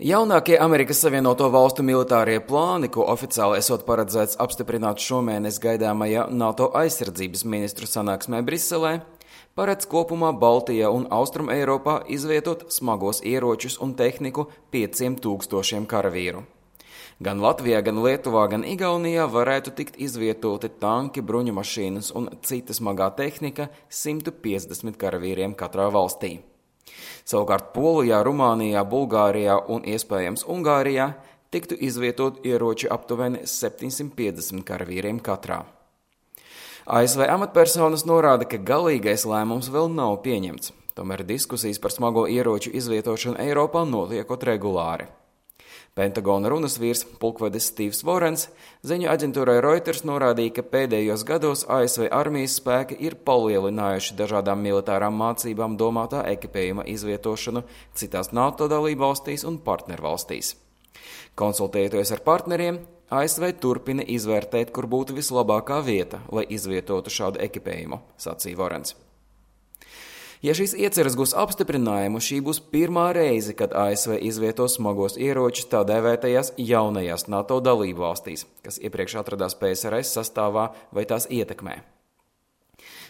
Jaunākie Amerikas Savienoto Valstu militārie plāni, ko oficiāli esot paredzēts apstiprināt šomēnes gaidāmajā NATO aizsardzības ministru sanāksmē Briselē, paredz kopumā Baltijā un Austrum Eiropā izvietot smagos ieročus un tehniku 5000 karavīru. Gan Latvijā, gan Lietuvā, gan Igaunijā varētu tikt izvietoti tanki, bruņumašīnas un cita smagā tehnika 150 karavīriem katrā valstī. Savukārt Polijā, Rumānijā, Bulgārijā un iespējams Ungārijā tiktu izvietot ieroči aptuveni 750 karavīriem katrā. ASV amatpersonas norāda, ka galīgais lēmums vēl nav pieņemts, tomēr diskusijas par smago ieroču izvietošanu Eiropā notiekot regulāri. Pentagona runas vīrs pulkvedis Stīvs Vorens ziņu aģentūrai Reuters norādīja, ka pēdējos gados ASV armijas spēki ir palielinājuši dažādām militārām mācībām domātā ekipējuma izvietošanu citās NATO dalībvalstīs un partnervalstīs. Konsultējoties ar partneriem, ASV turpina izvērtēt, kur būtu vislabākā vieta, lai izvietotu šādu ekipējumu, sacīja Vorens. Ja šīs ieceres gūs apstiprinājumu, šī būs pirmā reize, kad ASV izvietos smagos ieročus tā dēvētajās jaunajās NATO dalību valstīs, kas iepriekš atradās PSRS sastāvā vai tās ietekmē.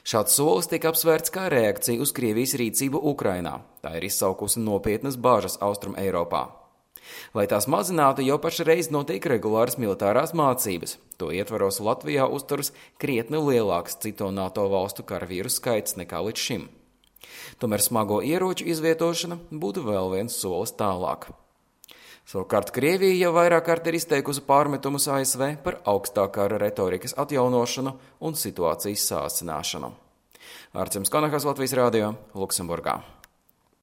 Šāds solis tika apsvērts kā reakcija uz Krievijas rīcību Ukrainā. Tā ir izsaukusi nopietnas bāžas Austrum Eiropā. Lai tās mazinātu, jau pašreiz notiek regulāras militārās mācības. To ietvaros Latvijā uzturas krietni lielāks cito NATO valstu karavīru skaits nekā līdz šim. Tomēr smago ieroču izvietošana būtu vēl viens solis tālāk. Savukārt Krievija jau vairāk kārt ir izteikusi pārmetumus ASV par augstākā retorikas atjaunošanu un situācijas sāsināšanu. Arcims Konahas, Latvijas radio, Luksemburgā.